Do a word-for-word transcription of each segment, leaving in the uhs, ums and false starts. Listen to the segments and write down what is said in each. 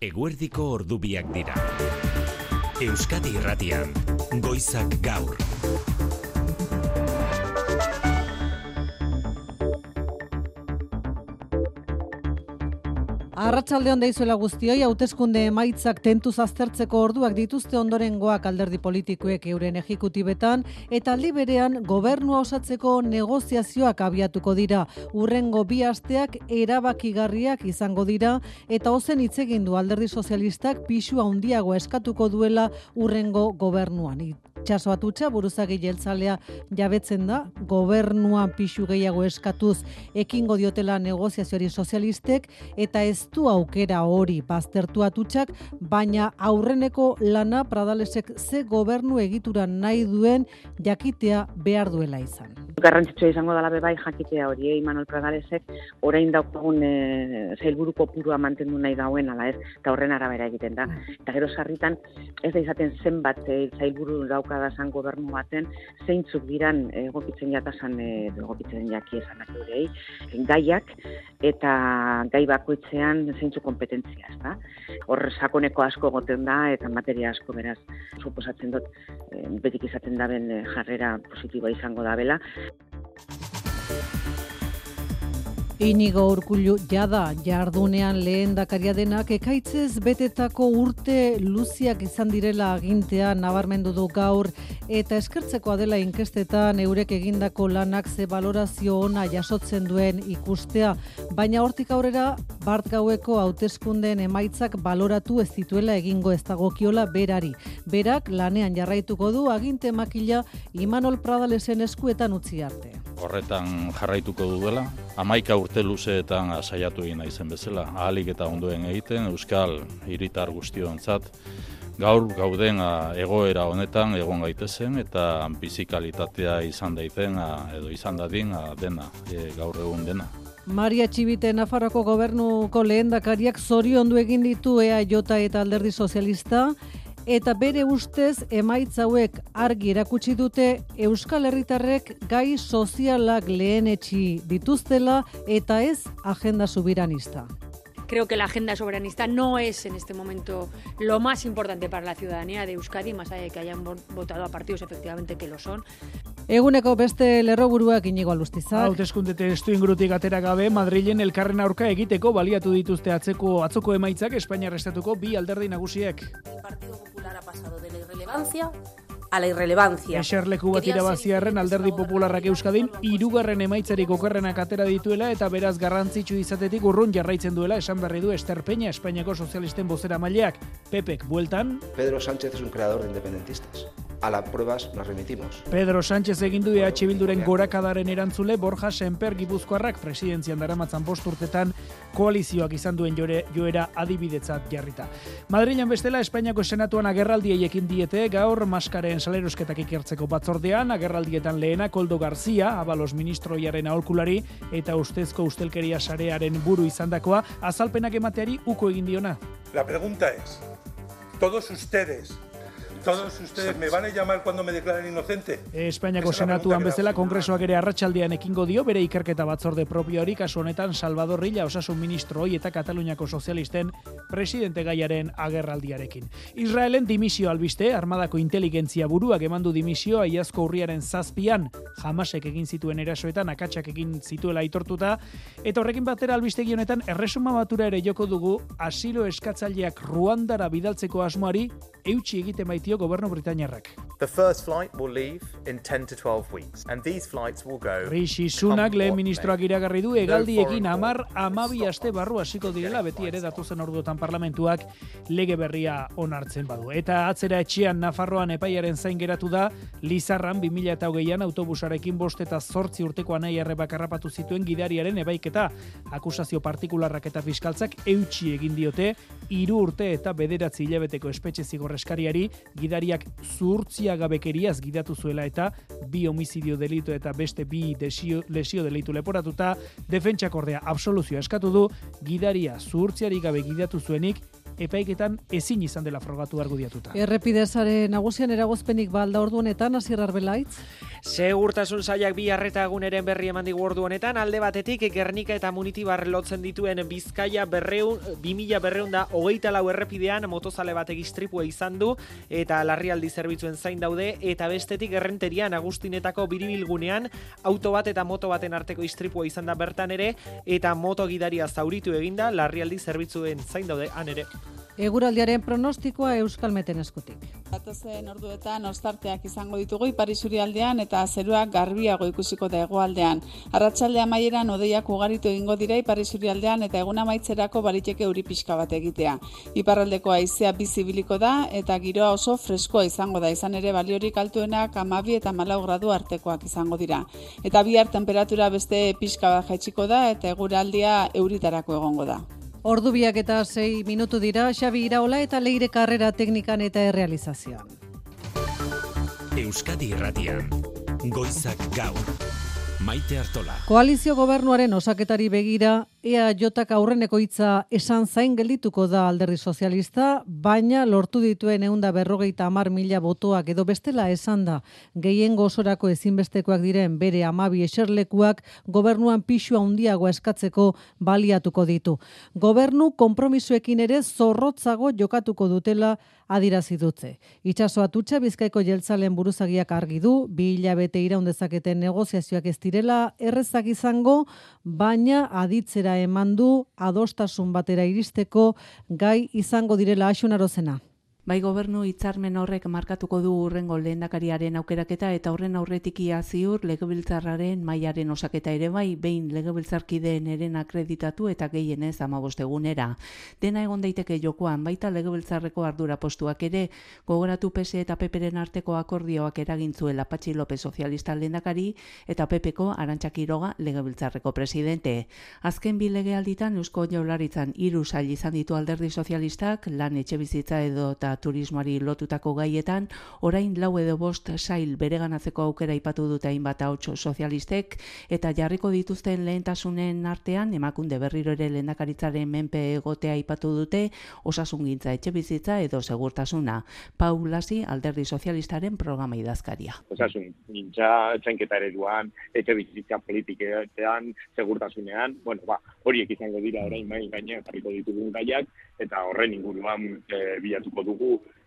Eguerdiko ordubiak dira. Euskadi Irratian, Goizak Gaur. Arratsaldeon deizuela guztioi, hauteskunde emaitzak tentuz aztertzeko orduak dituzte ondorengoak alderdi politikoek euren ejekutibetan, eta aldi berean gobernua osatzeko negoziazioak abiatuko dira. Hurrengo bi asteak erabakigarriak izango dira, eta ozen hitz egin du alderdi sozialistak pisu handiago eskatuko duela hurrengo gobernuan. Itxaso Atutxa, buruzagi jeltzalea jabetzen da, gobernuan pisu gehiago eskatuz ekingo diotela negoziazioari sozialistek, eta ez du aukera hori baztertu Atutxak, baina aurreneko lana Pradalesek ze gobernu egitura nahi duen jakitea behar duela izan. Garrantzitsua izango dela bebai jakitea hori, eh? Imanol Pradalesek orain daukagun e, zailburu kopurua mantendu nahi dauen, ala ez, eta horren arabera egiten da. Eta gero sarritan ez da izaten zenbat e, zailburu daukadazan gobernu baten, zeintzuk diran egokitzen jatasan, e, egokitzen jaki esanak eurei, gaiak eta gai bakoitzean zeintzuk kompetentzia, ez da? Hor sakoneko asko goten da eta materia asko beraz suposatzen dut e, betik izaten daben e, jarrera positiboa izango da bela. Inigo Urkullu jada jardunean lehendakaria denak ekaitzez betetako urte luziak izan direla agintea nabarmendu du gaur, eta eskertzekoa dela inkestetan eurek egindako lanak ze balorazio ona jasotzen duen ikustea, baina hortik aurrera bart gaueko hauteskundeen emaitzak baloratu ez dituela egingo ez dagokiola berari. Berak lanean jarraituko du aginte makila Imanol Pradalesen eskuetan utzi arte. Horretan jarraituko duela, hamaika urte luzeetan saiatu egin naizen bezala, ahalik eta ondoen egiten euskal hiritar guztiontzat gaur gauden egoera honetan egon gaitezen eta bizikalitatea izan daiten edo izan dadin dena, e, gaur egun dena. Maria Txibite Nafarroako gobernuko lehendakariak zoriondu egin ditu E A J eta Alderdi Sozialista, eta bere ustez emaitza hauek argi erakutsi dute Euskal Herritarrek gai sozialak lehenetsi dituztela eta ez agenda soberanista. Creo que la agenda soberanista no es en este momento lo más importante para la ciudadanía de Euskadi, más allá de que hayan votado a partidos efectivamente que lo son. Eguneko beste lerroburuak Inigo Alustizak. Hauteskunde testu ingurutik atera gabe, Madrilen elkarren aurka egiteko baliatu dituzte atzeko atzoko emaitzak Espainiar estatuko bi alderdi nagusiek. El Partido Popular ha pasado de la irrelevancia a la irrelevancia. Eserleku bat irabaziarren Alderdi Popularrak Euskadin hirugarren emaitzarik okerrenak atera dituela eta beraz garrantzitsu izatetik urrun jarraitzen duela esan berri du Ester Peña, Espainiako sozialisten bozeramaileak. Pepek bueltan. Pedro Sánchez es un creador de independentistas. A las pruebas nos remitimos. Pedro Sánchez egin du E H Bilduren gorakadaren erantzule Borja Sémper Gipuzkoarrak presidentzian daramatzan bost urtetan koalizioak izan duen jore, joera adibidetzat jarrita. Madrilen bestela Espainiako senatuan agerraldiei ekin diete gaur maskaren salerosketak ikertzeko batzordean, agerraldietan lehena Koldo Garzia, Abalos ministroiaren aholkulari eta ustezko ustelkeria sarearen buru izandakoa, azalpenak emateari uko egin diona. La pregunta es, todos ustedes Todos ustedes me van a llamar cuando me declaren inocente. Espainiako senatuan bezala kongresoak ere arratsaldean ekingo dio bere ikerketa batzorde propioari, kasu honetan Salvador Rilla osasun ministroi eta Kataluniako sozialisten presidente gaiaren agerraldiarekin. Israelen dimisio albiste, armadako inteligentzia buruak emandu dimisioa iazko urriaren zazpian, Hamasek egin zituen erasoetan akatsak egin zituela aitortuta, eta horrekin batera albistegi honetan erresuma batura ere joko dugu asilo eskatzaileak Ruandara bidaltzeko asmoari eutsi egiten baitio gobernu britainiarrak. The first flight will leave in ten to twelve weeks and these flights will go. Rishi Sunak lehen ministroak iragarri du hegaldiekin hamar hamabi aste barru hasiko direla, beti ere datozen orduotan parlamentuak lege berria onartzen badu. Eta atzera etxean Nafarroan epaiaren zain geratu da Lizarran bi mila hogeian autobusarekin bost eta zortzi urteko anai arrebak harrapatu zituen gidariaren ebaiketa. Akusazio partikularrak eta fiskaltzak eutsi egin diote hiru urte eta bederatzi hilabeteko espetxe zigorreskariari, gidariak zuhurtziagabekeriaz gidatu zuela eta bi homizidio delitu eta beste bi desio, lesio delitu leporatuta, defentsak ordea absoluzioa eskatu du, gidaria zuhurtziari gabe gidatu zuenik epaiketan ezin izan dela frogatu argudiatuta. Errepidezaren nagusian eragozpenik balda ordu honetan, Asier Arbelaitz? Segurtasun sailak bi arreta eguneren berri eman digu ordu honetan, alde batetik Gernika eta Munitibar lotzen dituen Bizkaia berreun, bi mila berreun da hogeita lau errepidean motozale batek istripua izan du eta larrialdi zerbitzuen zain daude, eta bestetik Errenterian Agustinetako biribilgunean auto bat eta moto baten arteko istripua izan da bertan ere, eta moto gidaria zauritu eginda, larrialdi zerbitzuen zain daude han ere. Eguraldiaren pronostikoa Euskalmeten eskutik. Datozen orduetan ostarteak izango ditugu ipar isurialdean eta zerua garbiago ikusiko da hegoaldean. Arratsalde amaieran hodeiak ugaritu egingo dira ipar isurialdean eta egun amaitzerako baliteke euri pixka bat egitea. Iparraldeko haizea bizi ibiliko da eta giroa oso freskoa izango da, izan ere baliorik altuenak hamabi eta hamalau gradu artekoak izango dira. Eta bihar temperatura beste pixka bat jaitsiko da eta eguraldia euritarako egongo da. Ordu biak eta sei minutu dira, Xabi Iraola eta Leire Karrera teknikan eta errealizazioan. Euskadi Irratian, Goizak Gaur, Maite Artola. Koalizio gobernuaren osaketari begira, E A Jk aurreneko hitza esan zain geldituko da Alderdi Sozialista, baina lortu dituen ehun eta berrogeita hamar mila botoak edo bestela esan da gehiengo osorako ezinbestekoak diren bere hamabi eserlekuak gobernuan pixua handiagoa eskatzeko baliatuko ditu. Gobernu konpromisoekin ere zorrotzago jokatuko dutela adirazi dute. Itxaso Atutxa Bizkaiko jeltzalen buruzagiak argi du, bi hilabete iraun dezaketen negoziazioak ez direla errezak izango, baina aditzera eman du adostasun batera iristeko gai izango direla. Axun Arozena. Bai, gobernu hitzarmen horrek markatuko du hurrengo lehendakariaren aukeraketa eta horren aurretik ia ziur legebiltzarraren mailaren osaketa ere bai, behin legebiltzarkideen eren akreditatu eta gehienez hamabost egunera. Dena egon daiteke jokoan, baita legebiltzarreko ardura postuak ere, gogoratu P S eta P Pren arteko akordioak eragintzuela Patxi López sozialista lehendakari eta P Pko Arantxa Quiroga legebiltzarreko presidente. Azken bi legealditan Eusko Jaurlaritzan hiru sail izan ditu Alderdi Sozialistak, lan etxebizitza edo eta turismoari lotutako gaietan, orain lau edo bost sail bereganatzeko aukera aipatu dute hainbat ahots sozialistek, eta jarriko dituzten lehentasunen artean emakunde berriro ere lehendakaritzaren menpe egotea aipatu dute, osasungintza, etxebizitza edo segurtasuna. Pau Lasi, Alderdi Sozialistaren programa idazkaria. Osasungintza, txanketa ereduan, etxebizitza politiketan, segurtasunean, bueno, ba, horiek izango dira orain mai gainean jarriko ditugun gaiak, eta horren inguruan e, bilatuko dugu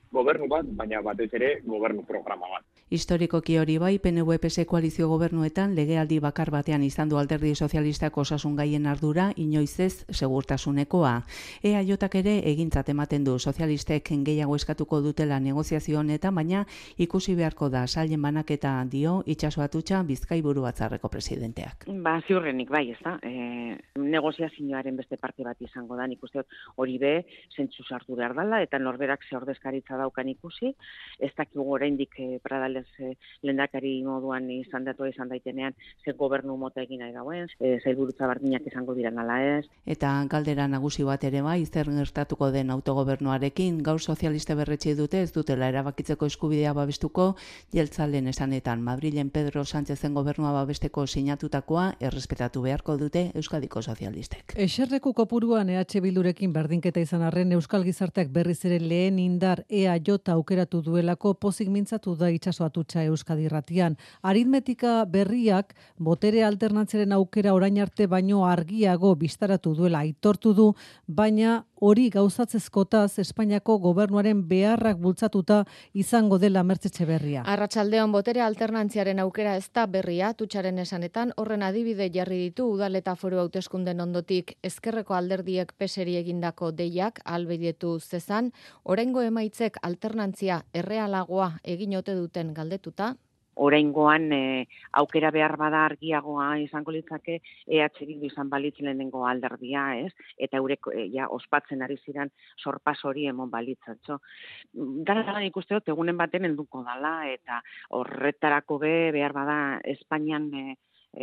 gobernu bat, baina batez ere gobernu programa bat. Historikoki hori bai, P N V P S koalizio gobernuetan legealdi bakar batean izan du Alderdi Sozialistak osasun gaien ardura, inoiz ez segurtasunekoa. E A Jk ere egintzat ematen du sozialistek gehiago eskatuko dutela negoziazio honetan, baina ikusi beharko da sailen banaketa dio Itxaso Atutxa Bizkaiburu Batzarreko presidenteak. Ba, ziurrenik bai, ez da. E, negoziazioaren beste parte bat izango da, nik uste hori be, zentzu sartu behar dela, eta norberak ze ordezkaritza daukan ikusi, ez dakigu oraindik e, Pradales e, lehendakari moduan izan datua izan daitenean, ze gobernu mota egin nahi dauen, e, zailburutza bardinak izango diren ala ez. Eta galdera nagusi bat ere bai, zer gertatuko den autogobernuarekin, gaur sozialiste berretsi dute ez dutela erabakitzeko eskubidea babestuko, jeltzalen esanetan Madrilen Pedro Sánchezen gobernua babesteko sinatutakoa errespetatu beharko dute Euskadiko sozialistek. Eserleku kopuruan E H Bildurekin berdinketa izan arren Euskal Gizarteak berriz ere lehen indar E A J aukeratu duelako pozik mintzatu da Itxaso Atutxa Euskadi Irratian. Aritmetika berriak botere alternantzaren aukera orain arte baino argiago bistaratu duela aitortu du, baina hori gauzatzezkotaz Espainiako gobernuaren beharrak bultzatuta izango dela Mertxe Etxeberria. Arratsaldeon botere alternantziaren aukera ez da berria, Atutxaren esanetan horren adibide jarri ditu udal eta foru hauteskunden ondotik ezkerreko alderdiek peseri egindako deiak albidetu zezan, oraingo emaitzek alternantzia errealagoa egin ote duten galdetuta. Oraingoan e, aukera behar bada argiagoa izango litzake E H Bildu izan balitz lehenengo alderdia, ez? Eta eurek e, ja ospatzen ari ziren sorpas hori emon balitzatxo. Dara dara ikuste dut egunen baten helduko dala eta horretarako be behar bada Espainian e,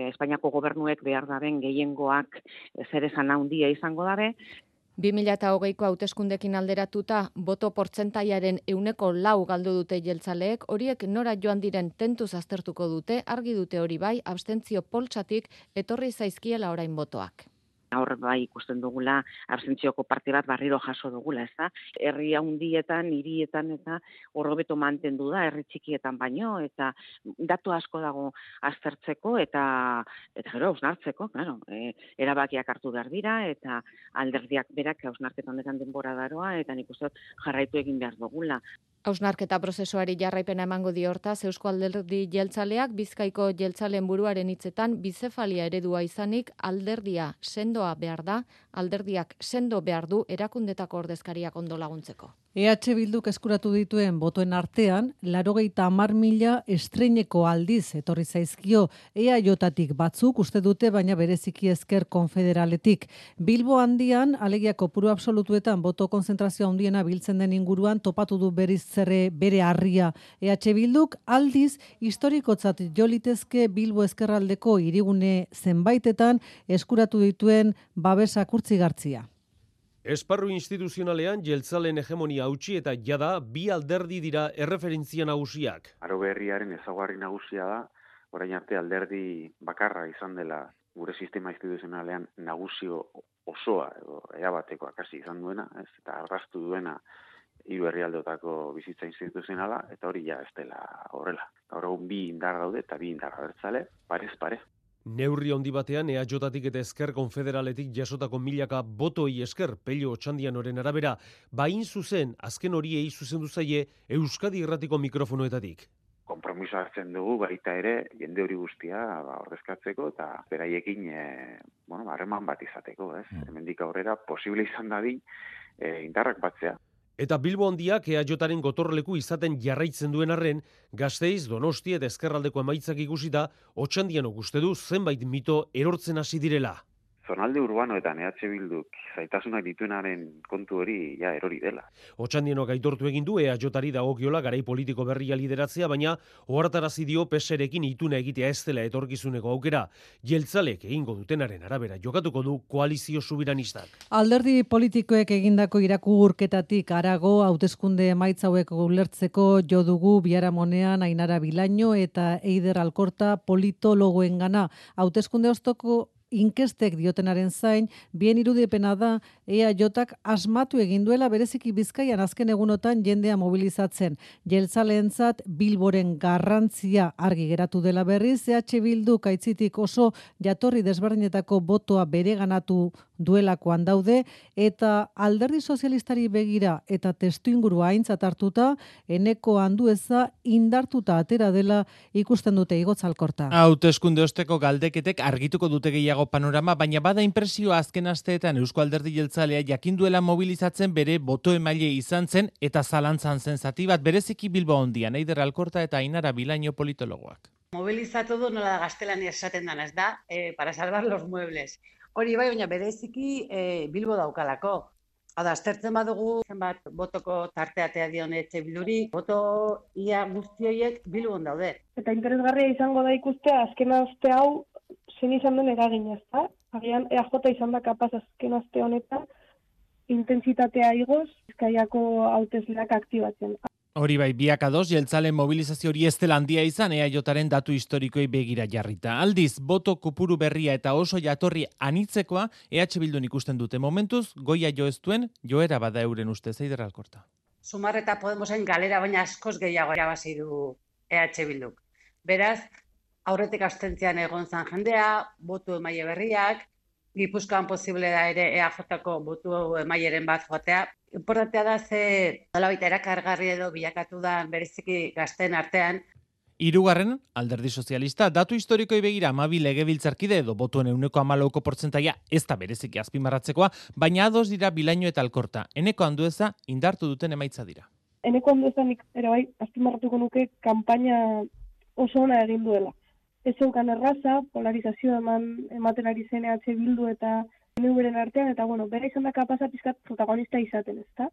Espainiako gobernuek behar daben gehiengoak zer esan handia izango dabe. bi mila hogeiko hauteskundekin alderatuta, boto portzentaiaren euneko lau galdu dute jeltzaleek, horiek nora joan diren tentuz aztertuko dute, argi dute hori bai, abstentzio poltsatik etorri zaizkiela orain botoak. Hor bai ikusten dugula, abstentzioko parte bat barriro jaso dugula, ez da? Herri handietan, hirietan eta hor hobeto mantendu da, herri txikietan baino, eta datu asko dago aztertzeko eta eta gero hausnartzeko, claro, e, erabakiak hartu behar dira, eta alderdiak berak hausnarketa honetan denbora daroa, eta nik uste dut jarraitu egin behar dugula. Hausnarketa prozesuari jarraipena emango dio hortaz Eusko Alderdi Jeltzaleak Bizkaiko jeltzaleen buruaren hitzetan bizefalia eredua izanik alderdia sendoa behar da, alderdiak sendo behar du erakundetako ordezkariak ondo laguntzeko. E H Bilduk eskuratu dituen botoen artean, laurogeita hamar mila estreineko aldiz etorri zaizkio E A J-tik batzuk uste dute, baina bereziki ezker konfederaletik. Bilbo handian, alegia kopuru absolutuetan boto konzentrazio handiena biltzen den inguruan topatu du beriz zerre bere harria. E H Bilduk aldiz historikotzat jo litezke Bilbo ezkerraldeko hirigune zenbaitetan eskuratu dituen babesa kurtzigartzia. Esparru instituzionalean jeltzaleen hegemonia hautsi eta jada bi alderdi dira erreferentzia nagusiak. Aro berriaren ezaugarri nagusia da, orain arte alderdi bakarra izan dela gure sistema instituzionalean nagusio osoa edo erabateko akasi izan duena, ez, eta arrastu duena hiru herrialdeotako bizitza instituzionala, eta hori ja ez dela horrela. Gaur egun bi indar daude eta bi indar abertzale, parez pare. Neurri handi batean E A J-tik eta Ezker Konfederaletik jasotako milaka botoi esker Pello Otxandianoren arabera, bain zuzen azken horiei zuzendu zaie Euskadi Irratiko mikrofonoetatik. Konpromiso hartzen dugu baita ere jende hori guztia ba, ordezkatzeko eta beraiekin e, bueno, harreman bat izateko, ez? Hemendik aurrera posible izan dadin e, indarrak batzea. Eta Bilbo handiak E A J-aren gotorleku izaten jarraitzen duen arren, Gasteiz, Donosti eta Ezkerraldeko emaitzak ikusita, Otxandianok uste du zenbait mito erortzen hasi direla. Zonalde urbanoetan E H Bilduk zaitasunak dituenaren kontu hori ja erori dela. Otxandianok aitortu egin du E A J-ari dagokiola garai politiko berria lideratzea, baina ohartarazi dio P S rekin ituna egitea ez dela etorkizuneko aukera. Jeltzalek egingo dutenaren arabera jokatuko du koalizio subiranistak. Alderdi politikoek egindako irakurketatik harago hauteskunde emaitza hauek ulertzeko jo dugu biharamonean Ainara Bilaino eta Eider Alkorta politologoengana. Hauteskunde ostoko inkestek diotenaren zain, bien irudipena da E A J-ak asmatu egin duela bereziki Bizkaian azken egunotan jendea mobilizatzen. Jeltzaleentzat Bilboren garrantzia argi geratu dela berriz, E H Bilduk aitzitik oso jatorri desberdinetako botoa bereganatu duelakoan daude, eta alderdi sozialistari begira eta testuingurua aintzat hartuta, Eneko Andueza indartuta atera dela ikusten dute Igotz Alkorta. Hauteskunde osteko galdeketek argituko dute gehiago panorama, baina bada inpresioa azken asteetan Eusko Alderdi Jeltzalea jakinduela mobilizatzen bere boto emaile izan zen eta zalantzan zen zati bat bereziki Bilbo handian, Eider Alkorta eta Ainara Bilaino politologoak. Mobilizatu du nola gaztelania esaten dana, ez da, e, para salvar los muebles. Hori bai, baina bereziki e, Bilbo daukalako. Hada, aztertzen badugu zenbat botoko tarteatea dion E H Bilduri, boto ia guzti horiek Bilbon daude. Eta interesgarria izango da ikustea azken aste hau zein izan den eragin, ezta? Agian E A J izan da kapaz azken aste honetan intentsitatea igoz Bizkaiako hautesleak aktibatzen. Hori bai, biak ados, jeltzalen mobilizazio hori ez dela handia izan E A J-aren datu historikoei begira jarrita. Aldiz, boto kopuru berria eta oso jatorri anitzekoa E H Bildun ikusten dute momentuz, goia jo ez duen, joera bada euren ustez, Eider Alkorta. Sumar eta Podemosen galera, baina askoz gehiago erabazi du E H Bilduk. Beraz, aurretik abstentzian egon zan jendea, botu emaile berriak, Gipuzkoan posible da ere E A J-ko botu emaileren bat joatea. Importantea da ze nolabait erakargarri edo bilakatu da bereziki gazteen artean. Hirugarren, Alderdi Sozialista, datu historikoi begira hamabi legebiltzarkide edo botuen ehuneko hamalauko portzentaia ez da bereziki azpimarratzekoa, baina ados dira Bilaino eta Alkorta. Eneko Andueza indartu duten emaitza dira. Eneko Andueza nik ere bai azpimarratuko nuke kanpaina oso ona egin duela. Ez zeukan erraza, polarizazio eman ematen ari zen E H Bildu eta P N V-ren artean, eta bueno, bera izan da kapasa pizkat protagonista izaten, ezta?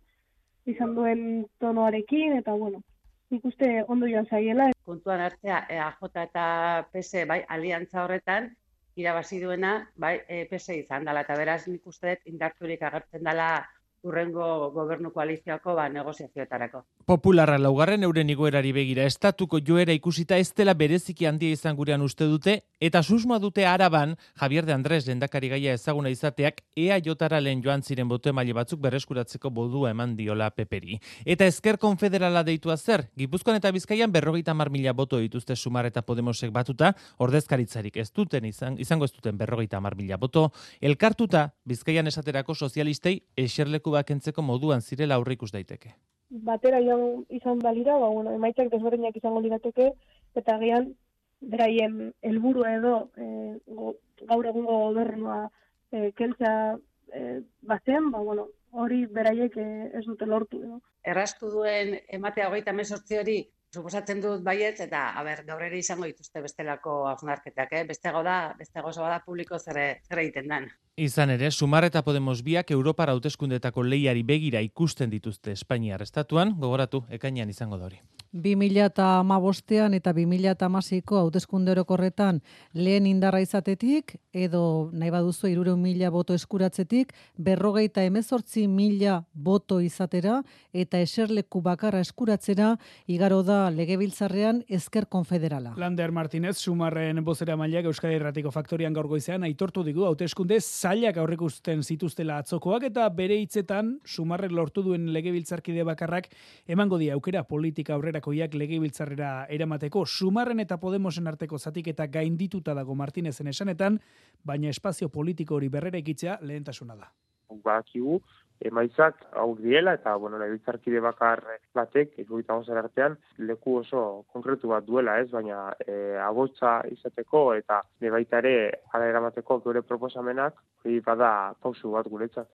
Izan duen tonoarekin, eta bueno, nik uste ondo joan zaiela. Kontuan hartzea E A J eta P S bai, aliantza horretan, irabazi duena bai, P S izan dela, eta beraz nik uste indarturik agertzen dela urrengo gobernu koalizioko ba, negoziazioetarako. Popularra laugarren euren igoerari begira estatuko joera ikusita ez dela bereziki handia izan gurean uste dute, eta susmoa dute Araban, Javier de Andrés lehendakari gaia ezaguna izateak, E A Jara lehen joan ziren boto emaile batzuk berreskuratzeko bodua eman diola Peperi. Eta Ezker Konfederala deitua zer, Gipuzkoan eta Bizkaian berrogeita hamar mila boto dituzte Sumar eta Podemosek batuta, ordezkaritzarik ez duten izan, izango ez duten berrogeita hamar mila boto, elkartuta Bizkaian esaterako sozialistei eserleku bakentzeko moduan zirela aurreikus daiteke. Batera joan izan balira, ba, bueno, emaitzak desberdinak izango lirateke, eta agian beraien helburua edo e, go, gaur egungo gobernua e, keltzea e, bazen, ba, bueno, hori beraiek e, ez dute lortu. Edo. Erraztu duen ematea hogeita hemezortzi hori, suposatzen dut baietz, eta a ber, gaur ere izango dituzte bestelako hausnarketak, eh? Bestego da, bestego da publiko zer, zer egiten den. Izan ere, Sumar eta Podemos biak Europar hauteskundetako lehiari begira ikusten dituzte Espainiar estatuan, gogoratu, ekainean izango da hori. bi mila hamabostean eta bi mila hamaseiko hauteskunde orokorretan lehen indarra izatetik, edo nahi baduzu hirurehun mila boto eskuratzetik, berrogeita hemezortzi mila boto izatera eta eserleku bakarra eskuratzera igaro da legebiltzarrean Ezker Konfederala. Lander Martínez, Sumarren bozeramaileak Euskadi Irratiko Faktorian gaur goizean aitortu digu hauteskunde zailak aurreikusten zituztela atzokoak eta bere hitzetan Sumarrek lortu duen legebiltzarkide bakarrak emango die aukera politika aurrerakoiak legebiltzarrera eramateko. Sumarren eta Podemosen arteko zatiketa gaindituta dago Martinezen esanetan, baina espazio politiko hori berreraikitzea lehentasuna da. Badakigu emaitzak aur diela eta bueno, legebiltzarkide bakar batek hirurogeita hamar artean leku oso konkretu bat duela, ez, baina e, abotsa izateko eta baita ere hala eramateko gure proposamenak hori bada pausu bat guretzat.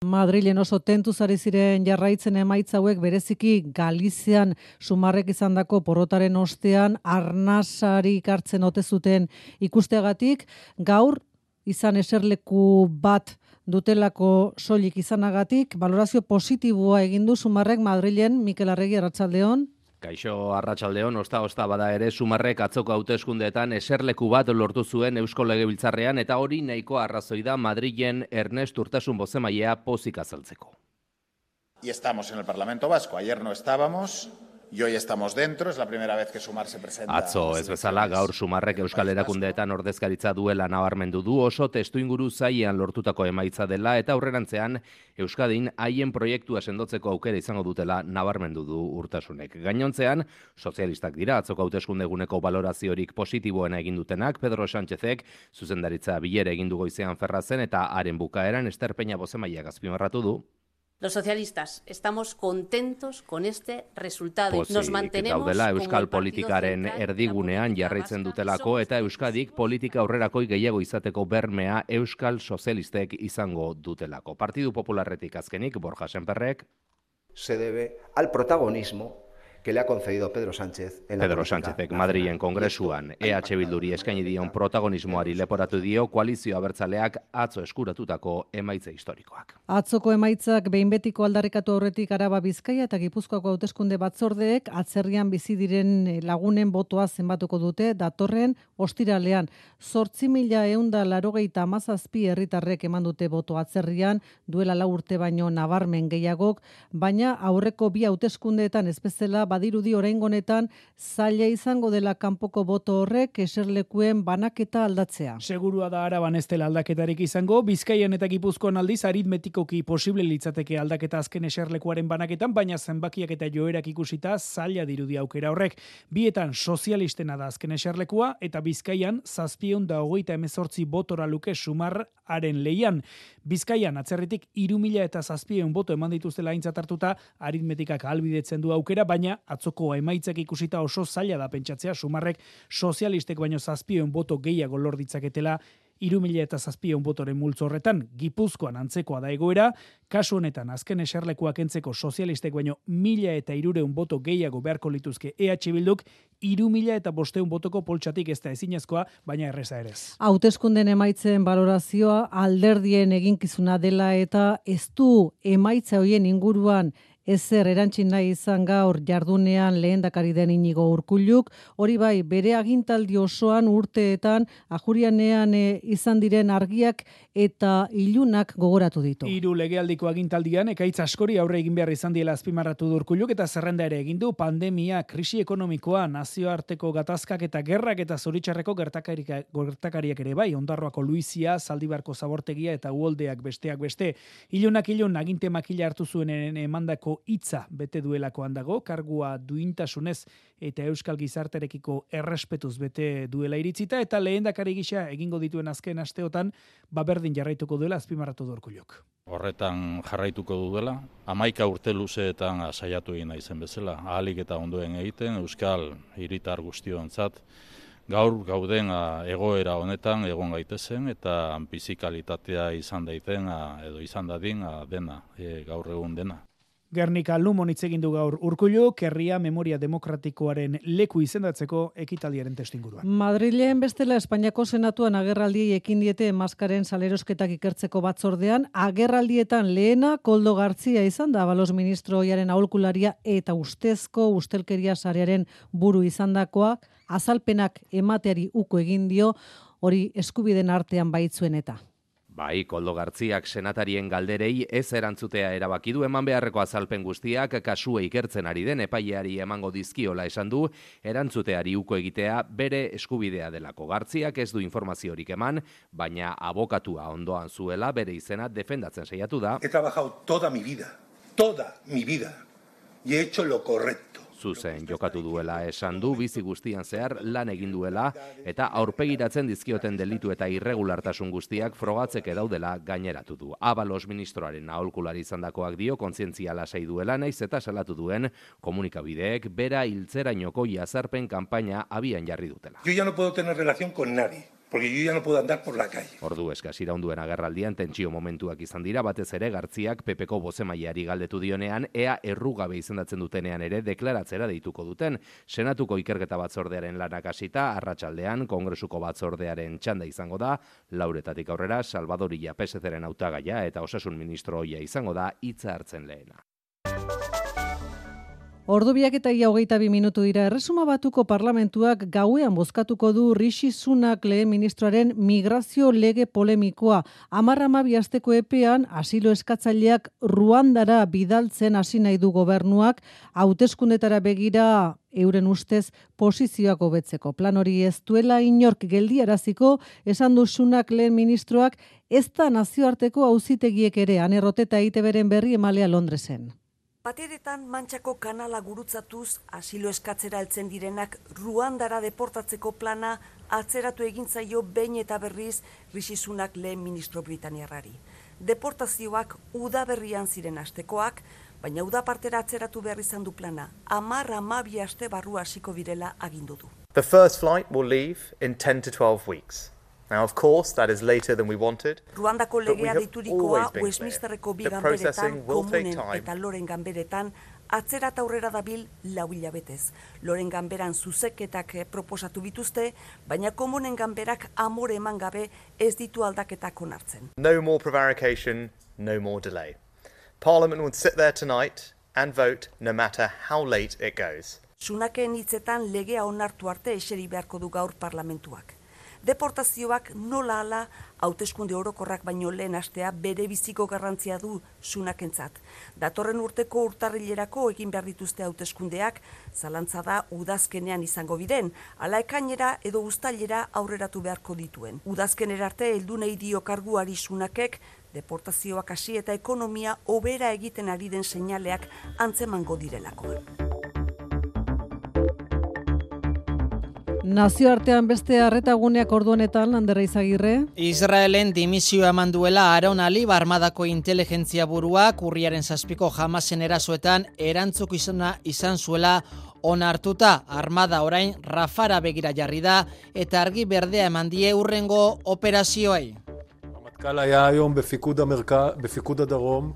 Madrilen oso tentuz ari ziren jarraitzen emaitza hauek bereziki Galizian Sumarrek izandako porrotaren ostean arnasarik hartzen ote zuten ikusteagatik, gaur izan eserleku bat dutelako soilik izanagatik, balorazio positiboa egin du Sumarrek Madrilen. Mikel Arregi, arratsaldeon. Kaixo, arratsaldeon, osta osta bada ere Sumarrek atzoko hauteskundeetan eserleku bat lortu zuen Eusko Legebiltzarrean eta hori nahiko arrazoi da Madrilen Ernest Urtasun bozemailea pozik azaltzeko. Y estamos en el Parlamento Vasco. Ayer no estábamos. Y hoy estamos dentro, es la primera vez que Sumar se presenta. Atzo, ez bezala, gaur Sumarrek Euskal Erakundeetan ordezkaritza duela nabarmendu du, oso testuinguru zailean lortutako emaitza dela eta aurrerantzean Euskadin haien proiektua sendotzeko aukera izango dutela nabarmendu du Urtasunek. Gainontzean, sozialistak dira atzoko hauteskunde eguneko baloraziorik positiboena egin dutenak, Pedro Sánchezek zuzendaritza bilera egin du goizean Ferrazen eta haren bukaeran Ester Peña bozemailea azpimarratu du. Los socialistas estamos contentos con este resultado. Pozik, Nos mantenemos gaudela como Euskal el partido politikaren central, erdigunean jarraitzen dutelako eta Euskadik politika aurrerakoi gehiago izateko bermea Euskal Sozialistek izango dutelako. Partidu Popularretik azkenik, Borja Sémperrek. Se debe al protagonismo que le ha concedido Pedro Sánchez en la Pedro Sánchezek Madrilen kongresuan E H Bilduri eskaini dion protagonismoari leporatu dio koalizio abertzaleak atzo eskuratutako emaitza historikoak. Atzoko emaitzak behin betiko aldarrikatu aurretik Araba, Bizkaia eta Gipuzkoako hauteskunde batzordeek atzerrian bizi diren lagunen botoa zenbatuko dute datorren ostiralean. Zortzi mila eunda larogeita hamazazpi herritarrek eman dute boto atzerrian, duela lau urte baino nabarmen gehiagok, baina aurreko bi hauteskundeetan ez bezala badirudi oraingo honetan zaila izango dela kanpoko boto horrek eserlekuen banaketa aldatzea. Segurua da Araban ez dela aldaketarik izango, Bizkaian eta Gipuzkoan aldiz aritmetikoki posible litzateke aldaketa azken eserlekuaren banaketan, baina zenbakiak eta joerak ikusita zaila dirudi aukera horrek. Bietan sozialistena da azken eserlekua eta Bizkaian zazpiehun da hogeita hemezortzi botora luke Sumarraren leian. Bizkaian atzerritik hiru mila eta zazpiehun boto eman dituztela aintzat hartuta aritmetikak ahalbidetzen du aukera, baina atzoko emaitzak ikusita oso zaila da pentsatzea Sumarrek sozialistek baino zazpiehun boto gehiago lor ditzaketela hiru mila eta zazpiehun botoren multzo horretan. Gipuzkoan antzekoa da egoera, kasu honetan azken eserlekuak entzeko sozialistek baino mila eta hirurehun boto gehiago beharko lituzke E H Bilduk, hiru mila eta bostehun botoko poltsatik ez da ezinezkoa, baina erreza ere ez. Hauteskunden emaitzen balorazioa alderdien eginkizuna dela eta ez du emaitza hoien inguruan ezer erantzin nahi izan gaur jardunean lehendakari den Inigo Urkulluk, hori bai bere agintaldi osoan urteetan ajurianean e, izan diren argiak eta ilunak gogoratu ditu. Hiru legealdiko agintaldian ekaitz askori aurre egin behar izan diela azpimarratu du Urkulluk eta zerrenda ere egin du pandemia, krisi ekonomikoa, nazioarteko gatazkak eta gerrak eta zoritxarreko gertakariak ere bai, Ondarroako Luizia, Zaldibarko Zabortegia eta Uoldeak besteak beste. Ilunak ilun aginte makila hartu zuenen emandako hitza bete duelakoan dago, kargua duintasunez eta euskal gizarterekiko errespetuz bete duela iritzita eta lehendakari gisa egingo dituen azken asteotan baberdin jarraituko duela azpimarratu du Urkulluk. Horretan jarraituko duela, hamaika urte luzeetan saiatu egin naizen bezala, ahalik eta ondoen egiten euskal hiritar guztiontzat gaur gauden egoera honetan egon gaitezen eta bizikalitatea izan daiten edo izan dadin dena, e, gaur egun dena. Gernika Lumon hitz egin du gaur Urkulluk, herria memoria demokratikoaren leku izendatzeko ekitaldiaren testuinguruan. Madrilen bestela Espainiako Senatuan agerraldiei ekin diete maskaren salerosketak ikertzeko batzordean, agerraldietan lehena Koldo Gartzia izan da Abalos ministro ohiaren aholkularia eta ustezko ustelkeria sarearen buru izandakoak, azalpenak emateari uko egin dio, hori eskubiden artean baitzuen eta. Bai, Koldo Gartziak senatarien galderei ez erantzutea erabaki du eman beharreko azalpen guztiak kasua ikertzen ari den epaileari emango dizkiola esan du, erantzuteari uko egitea bere eskubidea delako. Gartziak ez du informaziorik eman, baina abokatua ondoan zuela bere izena defendatzen saiatu da. He trabajado toda mi vida, toda mi vida, y he hecho lo correcto. Zuzen jokatu duela esan du, bizi guztian zehar lan egin duela eta aurpegiratzen dizkioten delitu eta irregulartasun guztiak frogatzeke daudela gaineratu du. Abalos ministroaren aholkulari izandakoak dio kontzientzia lasai duela naiz eta salatu duen komunikabideek bera hiltzerainoko jazarpen kanpaina abian jarri dutela. Yo ya no puedo tener relación con nadie. Porque yo ya no puedo andar por la calle. Ordu eskaz iraunduen agerraldian tentsio momentuak izan dira, batez ere Gartziak Pepeko bozemaileari galdetu dionean, ea errugabe izendatzen dutenean ere deklaratzera deituko duten. Senatuko ikerketa batzordearen lanak hasita, arratsaldean Kongresuko batzordearen txanda izango da, lauretatik aurrera Salvador Illa P S C-ren hautagaia eta osasun ministro ohia izango da hitza hartzen lehena. Ordubiak eta ia hogeita bi minutu dira, Erresuma Batuko parlamentuak gauean bozkatuko du Rishi Sunak lehen ministroaren migrazio lege polemikoa. Hamar hamabi asteko epean, asilo eskatzaileak Ruandara bidaltzen hasi nahi du gobernuak, hauteskundetara begira euren ustez posizioak hobetzeko. Plan hori ez duela inork geldiaraziko, esan du Sunak lehen ministroak, ez da nazioarteko auzitegiek ere, anerroteta I T B-ren berri emalea Londresen. Bateretan Mantxako kanala gurutzatuz asilo eskatzera heltzen direnak Ruandara deportatzeko plana atzeratu egin zaio behin eta berriz Rishi Sunak lehen ministro britaniarrari. Deportazioak udaberrian ziren astekoak, baina uda partera atzeratu behar izan du plana. Hamar hamabi aste barru hasiko direla agindu du. The first flight will leave in ten to twelve weeks. Now, of course, that is later than we wanted. Ruandako legea deiturikoa Westminsterreko bi ganberetan, komunen eta loren ganberetan, atzera eta aurrera dabil lau hilabetez. Loren ganberan zuzeketak proposatu bituzte, baina komunen ganberak amore eman gabe ez ditu aldaketak onartzen. No more prevarication, no more delay. Parliament will sit there tonight and vote no matter how late it goes. Sunaken hitzetan legea onartu arte eseri beharko du gaur parlamentuak. Deportazioak nola ala hauteskunde orokorrak baino lehen astea bere biziko garrantzia du Sunakentzat. Datorren urteko urtarrilerako egin behar dituzte hauteskundeak, zalantza da udazkenean izango biren, ala ekainera edo uztailera aurreratu beharko dituen. Udazkenera arte heldu nahi dio karguari Sunakek, deportazioak hasi eta ekonomia hobera egiten ari den seinaleak antzemango direlako. Nazioartean beste arretaguneak ordu honetan, Ander Izagirre. Israelen dimisioa eman duela Aaron Ali armadako inteligentzia buruak urriaren zazpiko Hamasen erasoetan erantzuk izana izan zuela onartuta. Armada orain Rafara begira jarri da eta argi berdea eman die hurrengo operazioei. המטכ"ל היה היום בפיקוד המרכז, בפיקוד הדרום,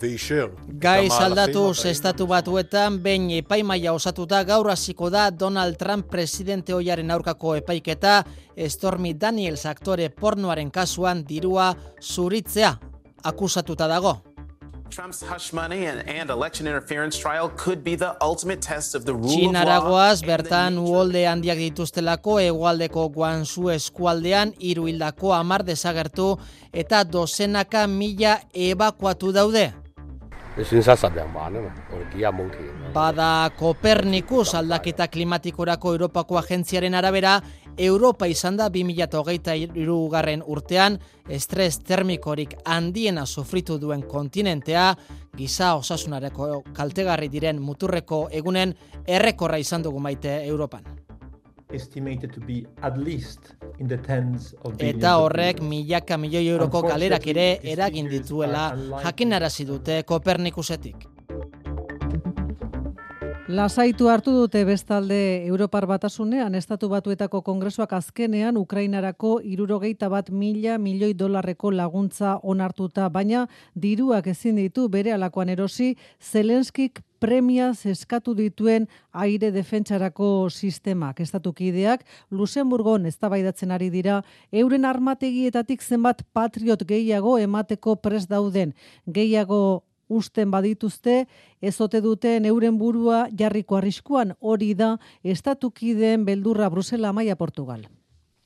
ואישר. Gai saldatuz estatu batuetan, behin epaimaia osatuta gaur hasiko da Donald Trump presidente ohiaren aurkako epaiketa, Stormy Daniels aktore pornoaren kasuan dirua zuritzea akusatuta dago. Trump's hush money and, and election interference trial could be the ultimate test of the rule of law. Txinaragoaz, bertan uholde handiak dituztelako hegoaldeko Guangzhou eskualdean hiru hildako hamar desagertu eta dozenaka mila ebakuatu daude. Bada Kopernikus aldaketa klimatikorako Europako agentziaren arabera, Europa izan da bi mila hogeita hirugarren urtean estres termikorik handiena sufritu duen kontinentea, giza osasunareko kaltegarri diren muturreko egunen errekorra izan dugu maite Europan. Estimated to be at least in the tens of billions. Eta horrek milaka milioi euroko galerak ere eragin dituela jakinarazi dute Kopernikusetik. Lasaitu hartu dute bestalde Europar Batasunean, Estatu Batuetako Kongresuak azkenean Ukrainarako hirurogeita bat mila milioi dolarreko laguntza onartuta, baina diruak ezin ditu bere alakoan erosi Zelenskik premiaz eskatu dituen aire defentsarako sistemak. Estatukideak Luxemburgon eztabaidatzen ari dira euren armategietatik zenbat patriot gehiago emateko prest dauden. Gehiago usten badituzte, ez ote duten euren burua jarriko arriskuan, hori da estatukideen beldurra Brusela, Maia, Portugal.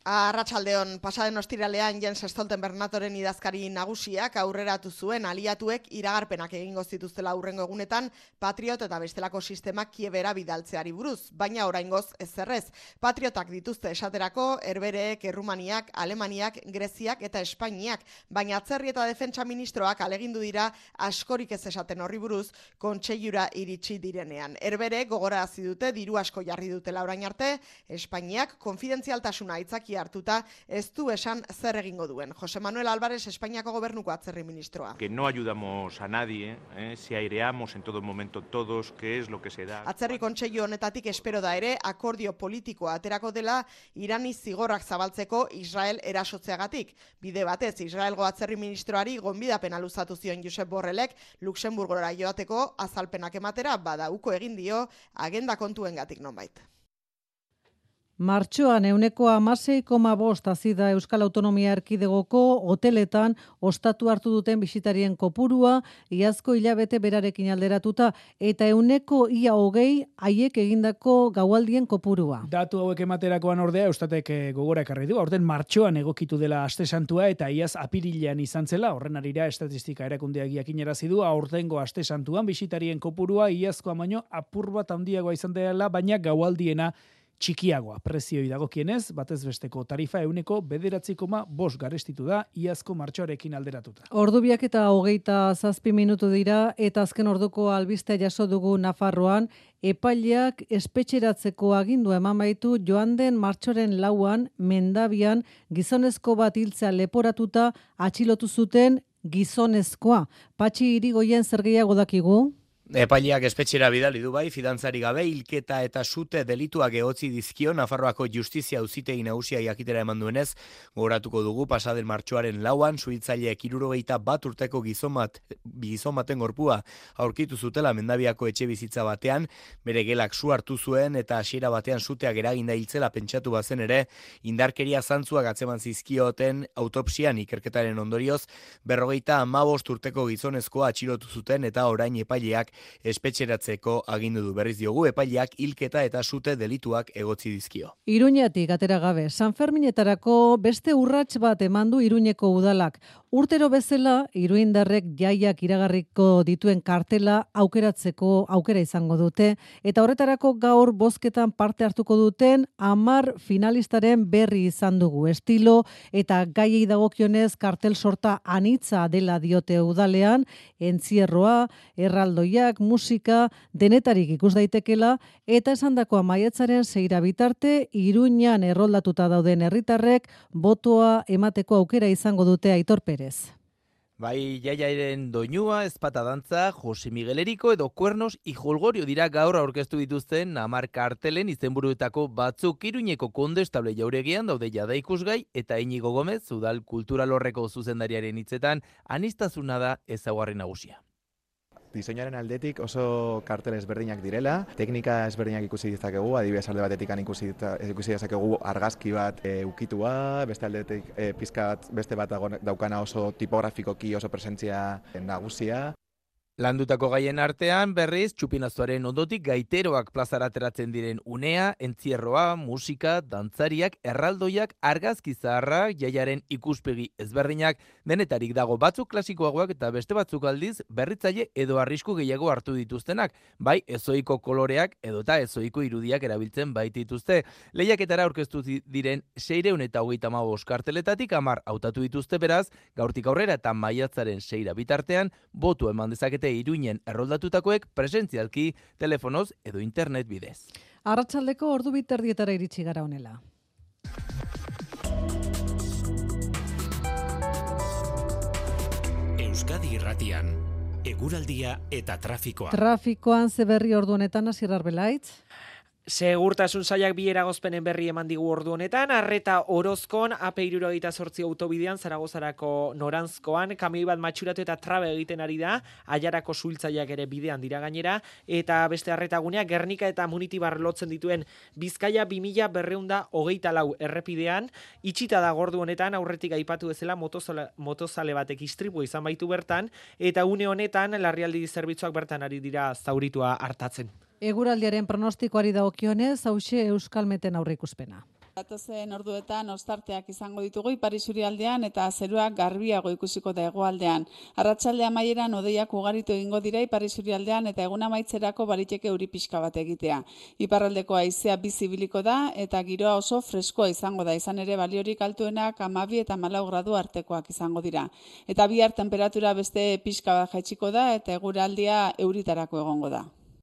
Arratsaldeon, pasaden ostiralean Jens Stoltenberg idazkari nagusiak aurreratu zuen aliatuek iragarpenak egingo zituztela aurrengo egunetan Patriot eta bestelako sistemak Kievera bidaltzeari buruz, baina oraingoz ezerrez. Patriotak dituzte esaterako Herbereek, Errumaniak, Alemaniak, Greziak eta Espainiak, baina atzerri eta defentsa ministroak alegindu dira askorik ez esaten horri buruz kontseilura iritsi direnean. Herbereek gogorarazi dute diru asko jarri dutela orain arte, Espainiak konfidentzialtasuna aitzaki hartuta ez du esan zer egingo duen. Jose Manuel Álvarez, Espainiako gobernuko atzerri ministroa. Que no ayudamos a nadie, eh, si aireamos en todo momento todos, qué es lo que se da. Atzerri kontseilu honetatik espero da ere akordio politikoa aterako dela Irani zigorrak zabaltzeko Israel erasotzeagatik. Bide batez, Israelgo atzerri ministroari gonbidapena luzatu zion Josep Borrellek Luxemburgora joateko azalpenak ematera, bada uko egin dio agenda kontuengatik nonbait. Martxoan euneko hamasei koma bost hazi da Euskal Autonomia Erkidegoko hoteletan ostatu hartu duten bisitarien kopurua, iazko hilabete berarekin alderatuta, eta euneko ia hogei haiek egindako gaualdien kopurua. Datu hauek ematerakoan ordea, Eustatek gogora ekarri du, aurten martxoan egokitu dela aste santua eta iaz apirilean izan zela, horren arira estatistika erakundeak jakinarazi du, aurtengo aste santuan bisitarien kopurua iazkoa baino apur bat handiagoa izan dela, baina gaualdiena txikiagoa. Prezioi dagokienez, batez besteko tarifa euneko bederatzi koma bost garestitu da, iazko martxoarekin alderatuta. Ordubiak eta hogeita zazpi minutu dira, eta azken orduko albistea jaso dugu Nafarroan, epaileak espetxeratzeko agindu eman baitu joan den martxoren lauan, Mendabian, gizonezko bat hiltzea leporatuta atxilotu zuten gizonezkoa. Patxi Irigoyen zer gehiago dakigu? Epaileak espetxera bidali du bai, fidantzari gabe, hilketa eta sute delituak egotzi dizkio Nafarroako Justizia Auzitegi Nagusia jakitera eman duenez, gogoratuko dugu pasaden martxoaren lauan, suhiltzaileek hirurogeita bat urteko gizon bat, gizon baten gorpua aurkitu zutela Mendabiako etxe bizitza batean, bere gelak su hartu zuen eta hasiera batean suteak eraginda hiltzela pentsatu bazen ere, indarkeria zantzuak atzeman zizkioten autopsian ikerketaren ondorioz, berrogeita hamabost urteko gizonezkoa atxilotu zuten eta orain epaileak espetxeratzeko agindu du. Berriz diogu, epaileak hilketa eta sute delituak egotzi dizkio. Iruñatik atera gabe, San Ferminetarako beste urrats bat emandu Iruñeko udalak. Urtero bezala, iruindarrek jaiak iragarriko dituen kartela aukeratzeko aukera izango dute, eta horretarako gaur bozketan parte hartuko duten hamar finalistaren berri izan dugu. Estilo eta gaiei dagokionez kartel sorta anitza dela diote udalean, entzierroa, erraldoiak, musika, denetarik ikus daitekela, eta esandakoa maiatzaren seira bitarte, Iruñan erroldatuta dauden herritarrek botoa emateko aukera izango dute Aitor Perez. Bai, jaiaren doinua, ezpata dantza, Jose Miguel Eriko edo Kuernos y Jolgorio dira gaur aurkeztu dituzten hamar kartelen izenburuetako batzuk. Iruñeko Kondestable jauregian daude jada ikusgai eta Iñigo Gomez, udal kulturalorreko zuzendariaren hitzetan, aniztasuna da ezaugarri nagusia. Diseinuaren aldetik oso kartel ezberdinak direla, teknika ezberdinak ikusi dezakegu, adibidez alde batetik ikusi, ikusi dezakegu argazki bat e, ukitua, beste aldetik e, pizka bat, beste bat daukana oso tipografikoki oso presentzia nagusia. Landutako gaien artean, berriz, txupinazoaren ondotik gaiteroak plazara ateratzen diren unea, entzierroa, musika, dantzariak, erraldoiak, argazki zaharrak, jaiaren ikuspegi ezberdinak, denetarik dago batzuk klasikoagoak eta beste batzuk aldiz berritzaile edo arrisku gehiago hartu dituztenak, bai ezoiko koloreak edota ezoiko irudiak erabiltzen baitituzte. Lehiaketara aurkeztu diren seiehun eta hogeita hamabost karteletatik hamar hautatu dituzte beraz, gaurtik aurrera eta maiatzaren seira bitartean, botu eman dezakete Iruinen erroldatutakoek presentzialki, telefonoz edo internet bidez. Arratsaldeko ordu biterdietara iritsi gara honela. Euskadi Irratian, eguraldia eta trafikoa. Trafikoan ze berri ordu honetan, Asier Arbelaitz? Segurtasun sailak bi eragozpenen berri eman digu ordu honetan, Arreta Orozkon A P hirurogeita zortzi autobidean Zaragozarako noranzkoan, kamioi bat matxuratu eta trabe egiten ari da, Aiarako suhiltzaileak ere bidean dira gainera, eta beste Arretagunea Gernika eta Munitibar lotzen dituen Bizkaia bi mila berrehun eta hogeita lau errepidean, itxita da ordu honetan, aurretik aipatu bezala motozale, motozale batek istripu izan baitu bertan, eta une honetan larrialdi zerbitzuak bertan ari dira zauritua hartatzen. Eguraldiaren pronostikoari dagokionez, hauxe Euskalmeten aurreikuspena. Datozen orduetan ostarteak izango ditugu ipar isurialdean eta zeruak garbiago ikusiko da hegoaldean. Arratsalde amaieran hodeiak ugaritu egingo dira ipar isurialdean eta egun amaitzerako baliteke euri pixka bat egitea. Iparraldeko haizea bizi ibiliko da eta giroa oso freskoa izango da, izan ere baliorik altuenak hamabi eta hamalau gradu artekoak izango dira. Eta bihar temperatura beste pixka bat jaitsiko da eta eguraldia euritarako egongo da.